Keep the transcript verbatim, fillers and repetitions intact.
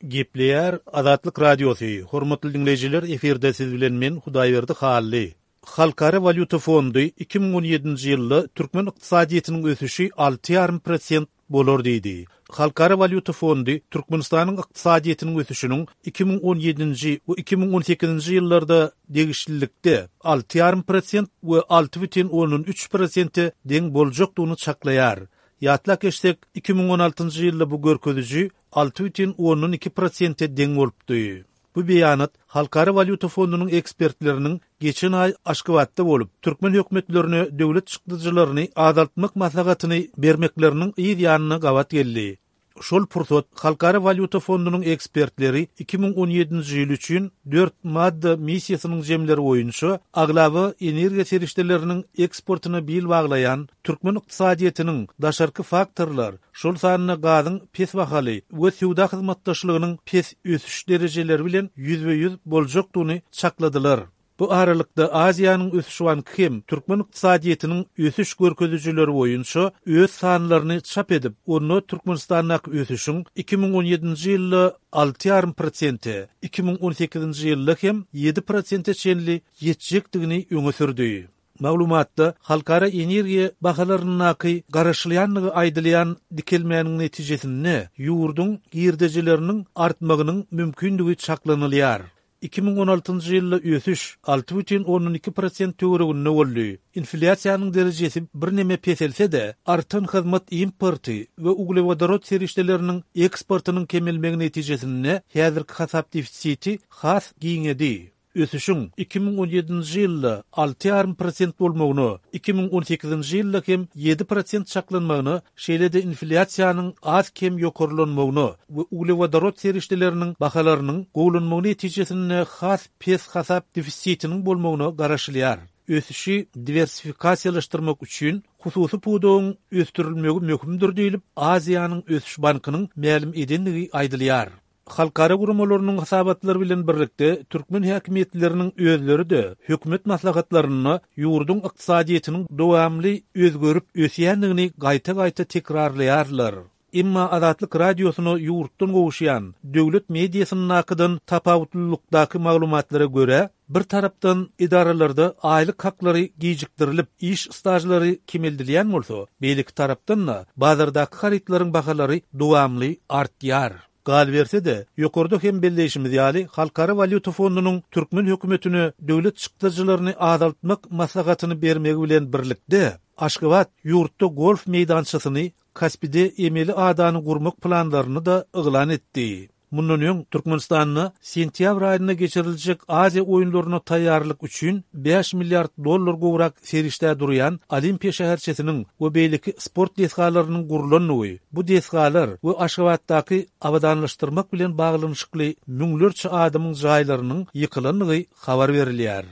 Gepleýär Azatlyk Radiosy, Hormatly diňleýjiler, efirde siz bilen men Hudaýberdi Hally. Halkara walýuta fondy iki müň on ýedinji ýylda türkmen ykdysadyýetiniň ösüşi alty ýarym prosent bolar diýdi. Halkara walýuta fondy Türkmenistanyň ykdysadyýetiniň ösüşiniň iki müň on ýedinji we iki müň on sekizinji ýyllarda degişlilikde alty ýarym prosent we alty bütin ondan üç prosente deň boljakdygyny çaklaýar. Ýatlap geçsek, iki müň on altynjy ýylda bu görkeziji alty bütin ondan iki prosente deň bolupdy. Bu beýanat Halkara walýuta fondunyň ekspertleriniň geçen aý Aşgabatda bolup, türkmen hökümetlerine döwlet çykdajylaryny azaltmak maslahatyny bermekleriniň yz ýanyna gabat geldi. Şol pursat Halkara walýuta fondunyň ekspertleri iki müň on ýedinji ýyl üçin dört madda missiýasynyň jemleri boýunça aglaba energiýa serişdeleriniň eksportyna bil baglaýan türkmen ykdysadyýetiniň daşarky faktorlar, şol sanda gazyň pes bahaly we söwda hyzmatdaşlygynyň pes ösüş derejeleri bilen ýüzbe-ýüz boljakdygyny çakladylar. Bu aralykda Aziýanyň ösüş banky hem türkmen ykdysadyýetiniň ösüş görkezijileri boýunça öz sanlaryny çap edip, onda Türkmenistandaky ösüşiň iki müň on ýedinji ýylda alty ýarym prosente, iki müň on sekizinji ýylda hem ýedi prosente çenli ýetjekdigini öňe sürdi. Maglumatda halkara energiýa bahalaryndaky garaşylýandygy aýdylýan dikelmäniň netijesinde ýurduň girdejileriniň artmagynyň mümkindigi çaklanylýar. Iki müň on altynjy ýylda ösüş alty bütin ondan iki prosent töwereginde boldy. Inflýasiýanyň derejesi birneme peselse-de, artan hyzmat importy we uglewodorod serişdeleriniň eksportynyň kemelmegi netijesinde häzirki hasap defisiti has giňedi. Ösüşiň iki müň on ýedinji ýylda alty ýarym prosent bolmagyna, iki müň on sekizinji ýylda hem ýedi prosent çaklanmagyna, şeýle-de inflýasiýanyň az-kem ýokarlanmagyna we uglewodorod serişdeleriniň bahalarynyň gowulanmagy netijesinde has pes hasap defisitiniň bolmagyna garaşylýar. Ösüşi diwersifikasiýalaşdyrmak üçin hususy pudagyň ösdürilmegi möhümdir diýlip, Aziýanyň ösüş bankynyň mälim edendigi aýdylýar. Halkara guramalarynyň hasabatlary bilen birlikde, türkmen häkimiýetleriniň özleri-de hökümet maslahatlarynda ýurduň ykdysadyýetiniň dowamly özgerip ösýändigini gaýta-gaýta tekrarlaýarlar. Emma Azatlyk Radiosyna ýurtdan gowuşýan döwlet mediasyndakydan tapawutlylykdaky maglumatlara görä, bir tarapdan edaralarda aýlyk haklary gijikdirilip, iş stažlary kemeldilýän bolsa, beýleki tarapdan-da bazardaky harytlaryň bahalary dowamly artýar. Galyberse-de, ýokarda hem belleýşimiz ýaly, Halkara walýuta fondunyň türkmen hökümetine döwlet çykdajylaryny azaltmak maslahatyny bermegi bilen birlikde, Aşgabat ýurtda golf meýdançasyny, Kaspide emeli adany gurmak planlaryny-da yglan etdi. Mundan öň Türkmenistanda sentýabr aýynda geçiriljek Aziýa oýunlaryna taýýarlyk üçin bäş milliard dollar gowrak serişdä durýan Olimpiýa şäherçesiniň we beýleki sport desgalarynyň gurlandygy, bu desgalar we Aşgabatdaky abadanlaşdyrmak bilen baglanyşykly müňlerçe adamyň jaýlarynyň ýykylandygy habar berilýär.